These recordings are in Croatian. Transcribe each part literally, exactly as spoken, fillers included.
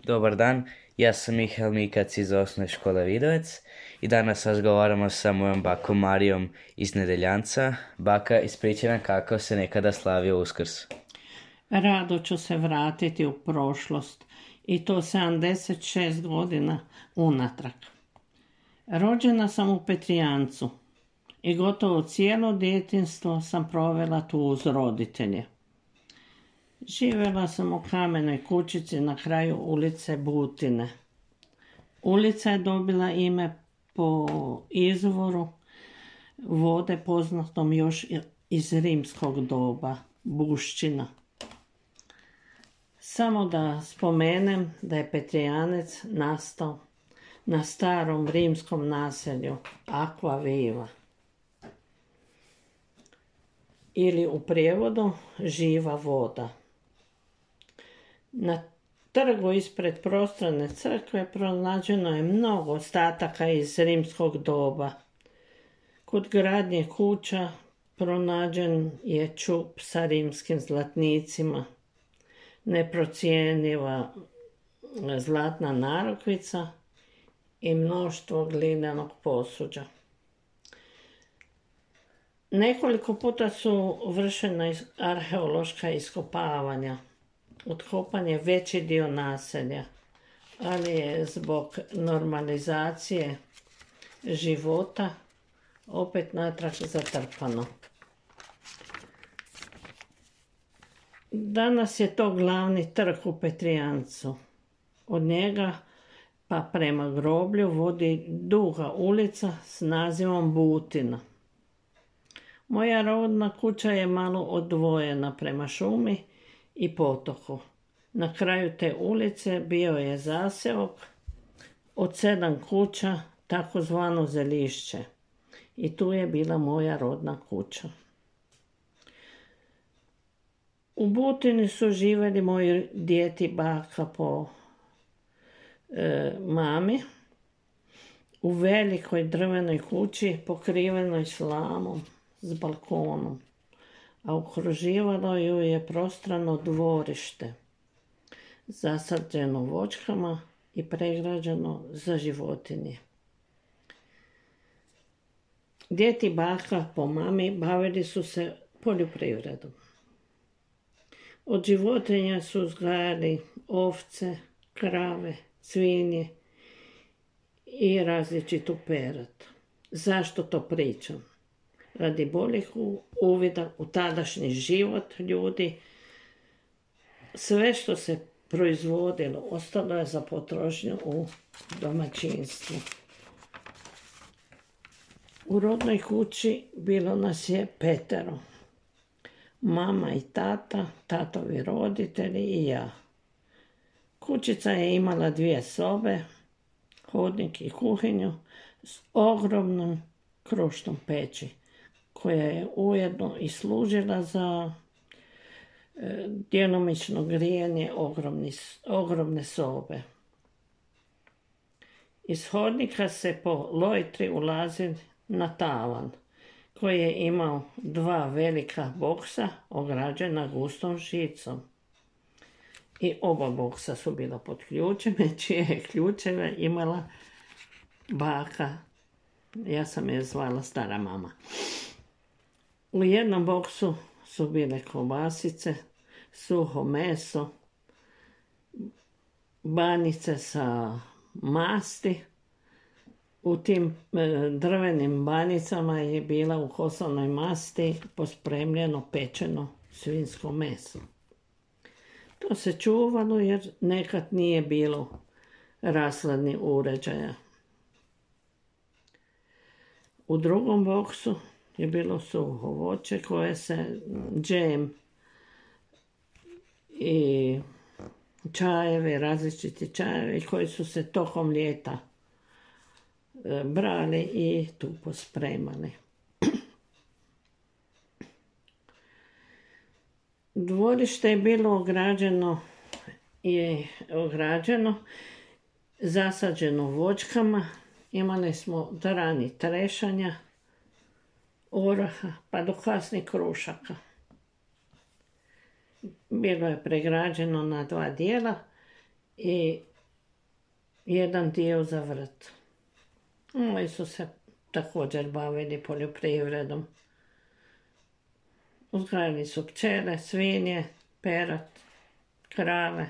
Dobar dan, ja sam Mihael Mikac iz osnovne škole Vidovec i danas razgovaramo sa mojom bakom Marijom iz Nedeljanca. Baka, ispričaj nam kako se nekada slavio Uskrs. Rado ću se vratiti u prošlost i to sedamdeset šest godina unatrag. Rođena sam u Petrijancu i gotovo cijelo djetinjstvo sam provela tu uz roditelje. Živjela sam u kamenoj kućici na kraju ulice Butine. Ulica je dobila ime po izvoru vode poznatom još iz rimskog doba, Buščina. Samo da spomenem da je Petrijanec nastao na starom rimskom naselju Aqua Viva. Ili u prijevodu živa voda. Na trgu ispred prostrane crkve pronađeno je mnogo ostataka iz rimskog doba. Kod gradnje kuća pronađen je čup sa rimskim zlatnicima, neprocjenjiva zlatna narukvica i mnoštvo glinenog posuđa. Nekoliko puta su vršena arheološka iskopavanja. Otkopan je veći dio naselja, ali je zbog normalizacije života opet natrag zatrpano. Danas je to glavni trg u Petrijancu. Od njega pa prema groblju vodi duga ulica s nazivom Butina. Moja rodna kuća je malo odvojena prema šumi i potoku. Na kraju te ulice bio je zaseok od sedam kuća, takozvano Zelišće. I tu je bila moja rodna kuća. U Butini su živjeli moji djed i baka po e, mami u velikoj drvenoj kući pokrivenoj slamom s balkonom, a okruživalo ju je prostrano dvorište, zasađeno voćkama i pregrađeno za životinje. Djed i baka po mami bavili su se poljoprivredom. Od životinja su uzgajali ovce, krave, svinje i različitu perad. Zašto to pričam? Radi boljih uvida u tadašnji život ljudi, sve što se proizvodilo ostalo je za potrošnju u domaćinstvu. U rodnoj kući bilo nas je petero. Mama i tata, tatovi roditelji i ja. Kućica je imala dvije sobe, hodnik i kuhinju s ogromnom krušnom peći, koja je ujedno i služila za e, djelomično grijanje ogromni, ogromne sobe. Iz hodnika se po lojtri ulazi na tavan, koji je imao dva velika boksa ograđena gustom žicom. I oba boksa su bila pod ključeme, čije je ključeve imala baka. Ja sam je zvala stara mama. U jednom boksu su bile kobasice, suho meso, banice sa masti. U tim drvenim banicama je bila u kosanoj masti pospremljeno pečeno svinjsko meso. To se čuvalo jer nekad nije bilo rashladnih uređaja. U drugom boksu je bilo suho voće koje se džem i čajevi, različiti čajevi koji su se tokom ljeta brali i tu pospremali. Dvorište je bilo ograđeno i ograđeno, zasađeno voćkama. Imali smo drani trešanja, oraha pa do kasnih krušaka. Bilo je pregrađeno na dva dijela i jedan dio za vrt. Oni su se također bavili poljoprivredom. Uzgajali su pčele, svinje, perad, krave.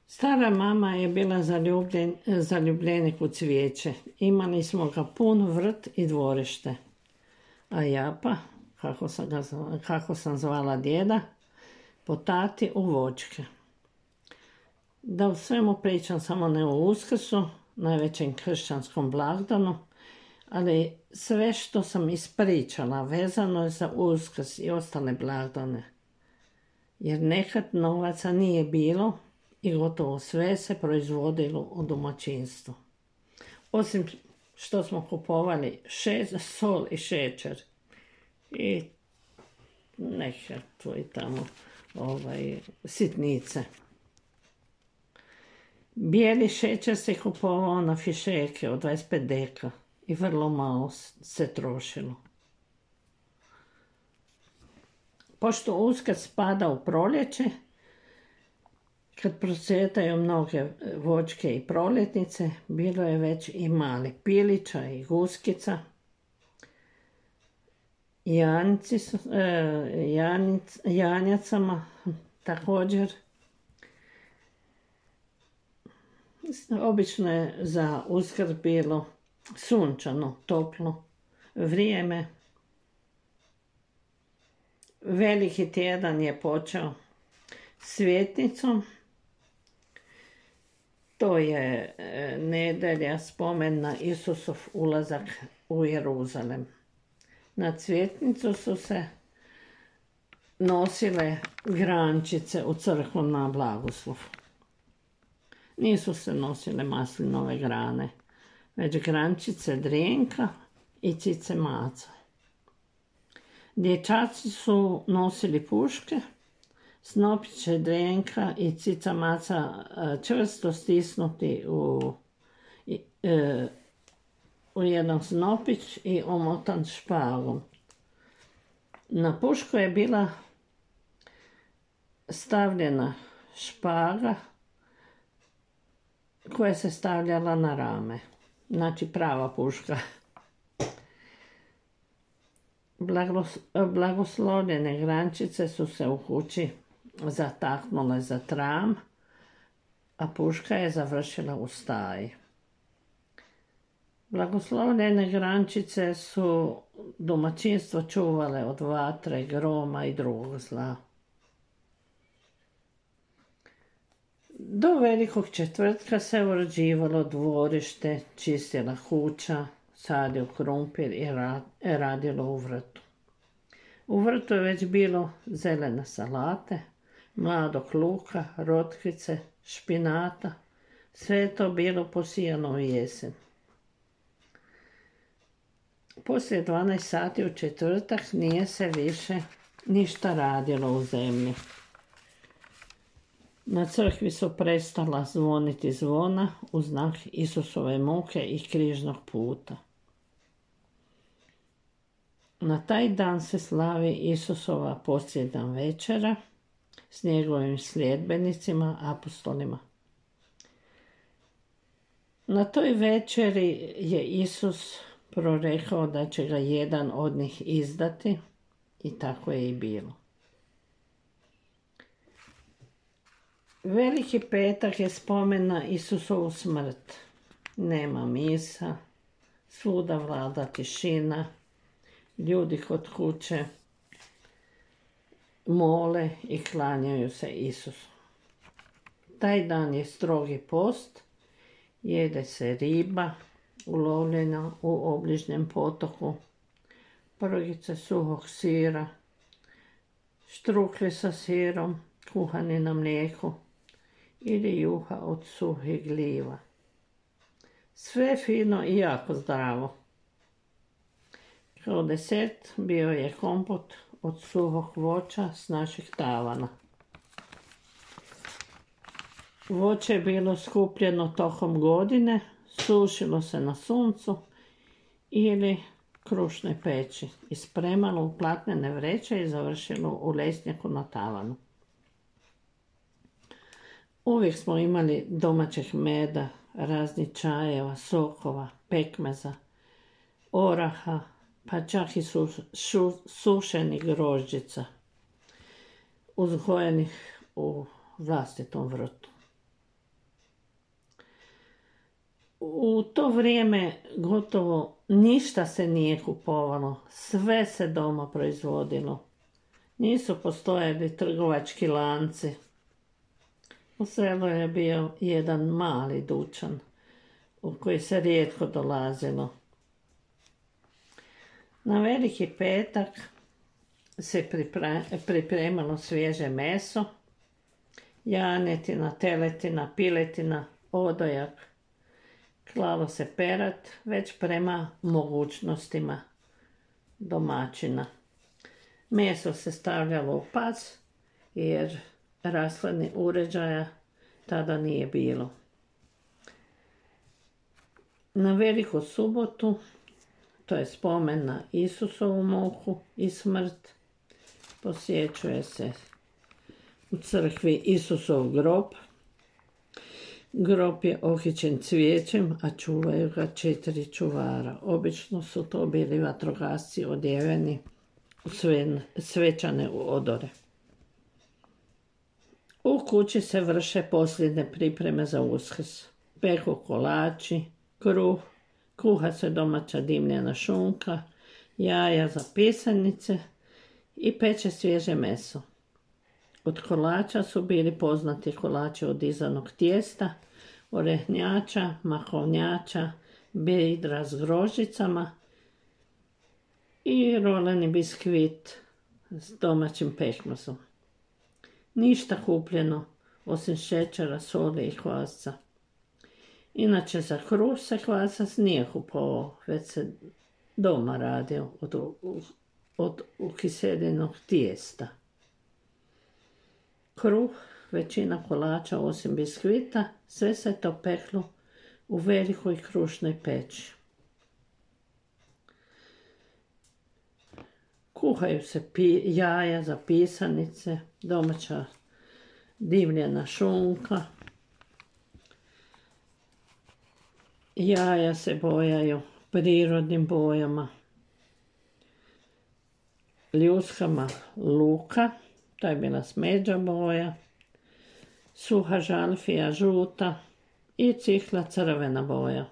Stara mama je bila zaljubljen, zaljubljenik u cvijeće. Imali smo ga pun vrt i dvorište. A Japa, kako sam, ga, kako sam zvala djeda, po tati u voćke. Da u svemu pričam samo ne o Uskrsu, najvećem kršćanskom blagdanu, ali sve što sam ispričala vezano je za Uskrs i ostale blagdane. Jer nekad novaca nije bilo i gotovo sve se proizvodilo u domaćinstvu. Osim što smo kupovali šest, sol i šećer i neke tu i tamo ovaj, sitnice. Bijeli šećer se kupovao na fišeke od dvadeset pet deka i vrlo malo se trošilo. Pošto Uskrs spada u proljeće, kad procvjetaju mnoge voćke i proljetnice, bilo je već i mali pilića i guskica. Janjci su, e, janjic, janjacama također. Obično je za Uskrs bilo sunčano, toplo vrijeme. Veliki tjedan je počeo svjetnicom. To je nedjelja spomen na Isusov ulazak u Jeruzalem. Na cvjetnicu su se nosile grančice u crkvu na blagoslov. Nisu se nosile maslinove grane, već grančice drenka i cice maca. Dječaci su nosili puške, snopiće drenka i cica maca čvrsto stisnuti u, e, u jedan snopić i omotan špagom. Na pušku je bila stavljena špaga koja se stavljala na rame. Znači prava puška. Blagos, blagoslovljene grančice su se u kući zataknule za tram, a puška je završila u staji. Blagoslovljene grančice su domaćinstvo čuvale od vatre, groma i drugog zla. Do Velikog četvrtka se uređivalo dvorište, čistila kuća, sadio krumpir i radilo u vrtu. U vrtu je već bilo zelene salate, mladog luka, rotkvice, špinata. Sve je to bilo posijano u jesen. Poslije dvanaest sati u četvrtak nije se više ništa radilo u zemlji. Na crkvi su prestala zvoniti zvona u znak Isusove muke i križnog puta. Na taj dan se slavi Isusova posljednja večera s njegovim sljedbenicima, apostolima. Na toj večeri je Isus prorekao da će ga jedan od njih izdati i tako je i bilo. Veliki petak je spomen na Isusovu smrt. Nema misa, svuda vlada tišina, ljudi kod kuće mole i klanjaju se Isusu. Taj dan je strogi post, jede se riba ulovljena u obližnjem potoku, prgice suhog sira, štrukli sa sirom, kuhani na mlijeku ili juha od suhih gljiva. Sve fino i jako zdravo. Kao desert bio je kompot od suhog voća s naših tavana. Voće je bilo skupljeno tokom godine, sušilo se na suncu ili krušnoj peći i spremalo u platnene vreće i završilo u lesnjaku na tavanu. Uvijek smo imali domaćeg meda, raznih čajeva, sokova, pekmeza, oraha, pa čak i su, šu, sušenih grožđica, uzgojenih u vlastitom vrtu. U to vrijeme gotovo ništa se nije kupovalo, sve se doma proizvodilo. Nisu postojali trgovački lanci. U selu je bio jedan mali dućan u koji se rijetko dolazilo. Na Veliki petak se pripremalo svježe meso, janetina, teletina, piletina, odojak. Klalo se perad već prema mogućnostima domaćina. Meso se stavljalo u pac jer rashladnih uređaja tada nije bilo. Na Veliku subotu, to je spomen na Isusovu muku i smrt, posjećuje se u crkvi Isusov grob. Grob je okićen cvijećem, a čuvaju ga četiri čuvara. Obično su to bili vatrogasci odjeveni u sve, svečane odore. U kući se vrše posljednje pripreme za Uskrs. Peku kolači, kruh, kuha se domaća dimljena šunka, jaja za pisanice i peče svježe meso. Od kolača su bili poznati kolači od izanog tijesta, orehnjača, mahovnjača, bidra s grožđicama i roleni biskvit s domaćim pekmezom. Ništa kupljeno osim šećera, soli i kvasca. Inače za kruh se kvasac nije kupovao, već se doma radio od, od ukiseljenog tijesta. Kruh, većina kolača osim biskvita, sve se to peklo u velikoj krušnoj peći. Kuhaju se pi, jaja za pisanice, domaća dimljena šunka. Jaja se bojaju prirodnim bojama, ljuskama luka, to je bila smeđa boja, suha žalfija žuta i cikla crvena boja.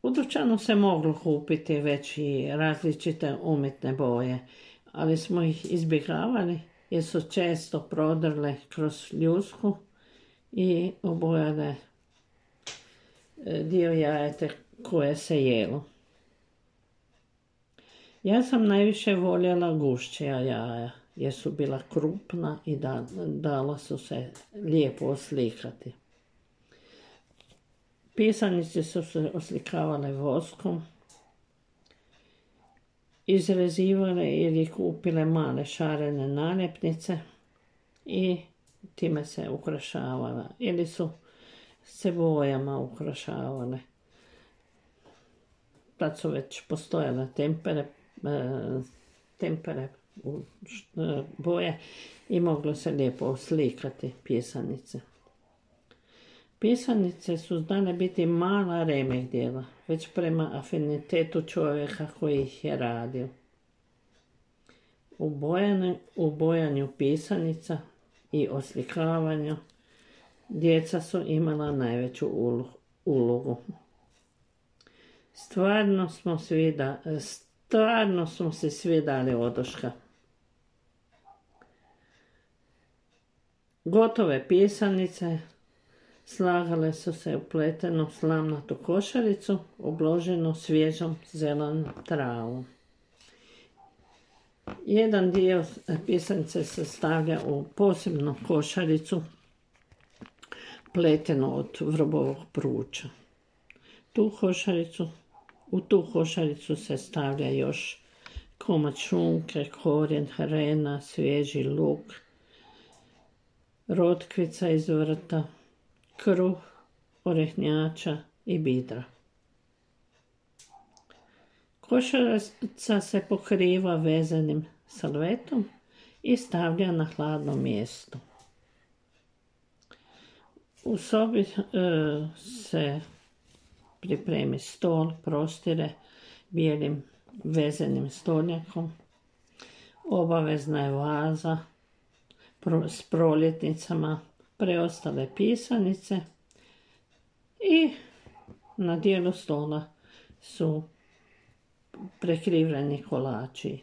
U dućanu se moglo kupiti već i različite umjetne boje, ali smo ih izbjegavali jer su često prodrle kroz ljusku i obojale dio jajeta koje se jelo. Ja sam najviše voljela gušća jaja jer su bila krupna i da, dala su se lijepo oslikati. Pisanice su se oslikavale voskom, izrezivale ili kupile male šarene naljepnice i time se ukrašavala ili su se bojama ukrašavale. Tad su već postojale tempere, tempere boje i moglo se lijepo oslikati pisanice. Pisanice su znale biti mala remek djela, već prema afinitetu čovjeka koji ih je radio. U bojanju, u bojanju pisanica i oslikavanju djeca su imala najveću ulogu. Stvarno smo, svi da, stvarno smo se svi dali oduška. Gotove pisanice slagale su se u pletenu slamnatu košaricu, obloženu svježom zelenom travom. Jedan dio pisanice se stavlja u posebnu košaricu, pletenu od vrbovog pruča. Tu košaricu, u tu košaricu se stavlja još komad šunke, korijen, hrena, svježi luk, rotkvica iz vrta, kruh, orehnjača i bidra. Košarica se pokriva vezanim salvetom i stavlja na hladno mjesto. U sobi e, se pripremi stol, prostire bijelim vezenim stolnjakom. Obavezna je vaza pro, s proljetnicama, preostale pisanice i na dijelu stola su prekriveni kolači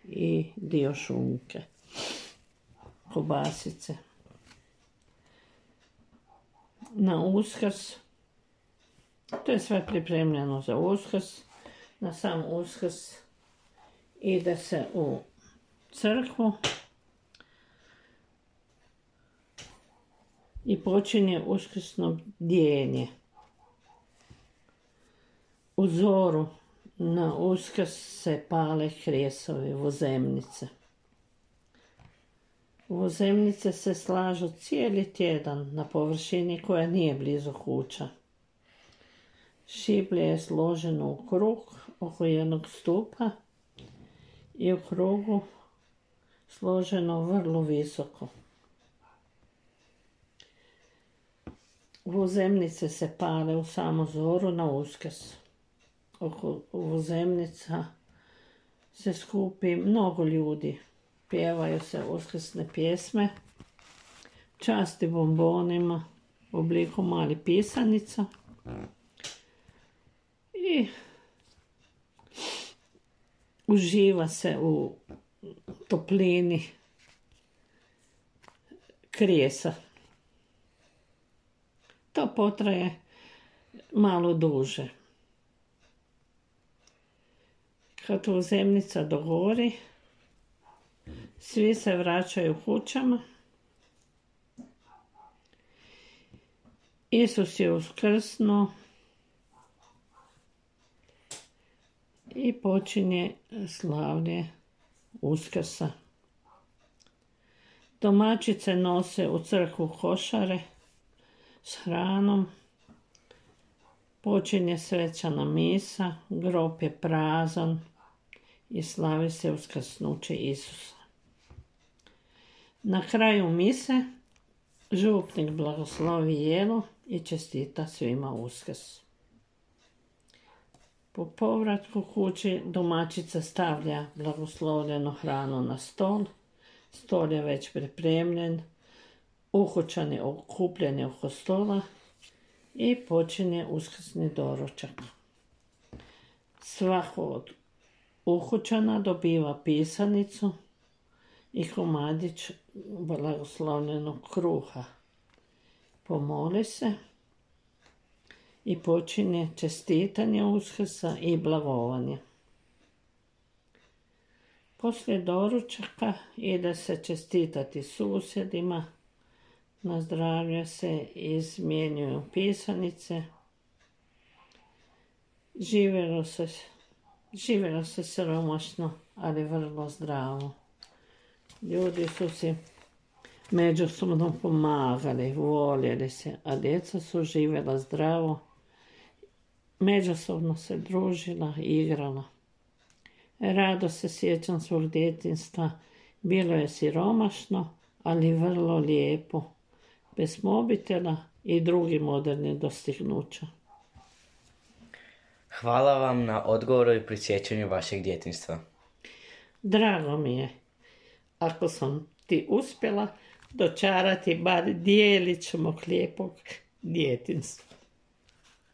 i dio šunke, kobasice. Na Uskrs, to je sve pripremljeno za Uskrs, na sam Uskrs ide se u crkvu i počinje uskrsno bdjenje. U zoru na Uskrs se pale kresovi, vozemnice. Vozemnice se slažu cijeli tjedan na površini koja nije blizu kuća. Šiblje je složeno u krug oko jednog stupa i u krugu složeno vrlo visoko. Vozemnice se pale u samu zoru na Uskrs. Oko vozemnica se skupi mnogo ljudi. Pjevaju se uskrsne pjesme, časti bombonima u obliku malih pisanica i uživa se u toplini krijesa. To potraje malo duže. Kad vozemnica dogori, svi se vraćaju kućama. Isus je uskrsnuo i počinje slavlje Uskrsa. Domaćice nose u crkvu košare s hranom. Počinje svečana misa, grob je prazan i slavi se uskrsnuće Isusa. Na kraju mise župnik blagoslovi jelo i čestita svima Uskrs. Po povratku kući domaćica stavlja blagoslovljenu hranu na stol. Stol je već pripremljen, ukućani okupljeni oko stola i počinje uskrsni doručak. Svako od ukućana dobiva pisanicu i komadić blagoslovljenog kruha. Pomoli se i počinje čestitanje Uskrsa i blagovanje. Poslije doručaka ide se čestitati susjedima, nazdravlja se i izmjenjuju pisanice. Živjelo se, živjelo se siromašno, ali vrlo zdravo. Ljudi su si međusobno pomagali, voljeli se, a djeca su živjela zdravo, međusobno se družila, igrala. Rado se sjećam svog djetinjstva, bilo je siromašno, ali vrlo lijepo, bez mobitela i drugih modernih dostignuća. Hvala vam na odgovoru i prisjećanju vašeg djetinjstva. Drago mi je, ako sam ti uspjela dočarati bar dijelić mog lijepog djetinjstva.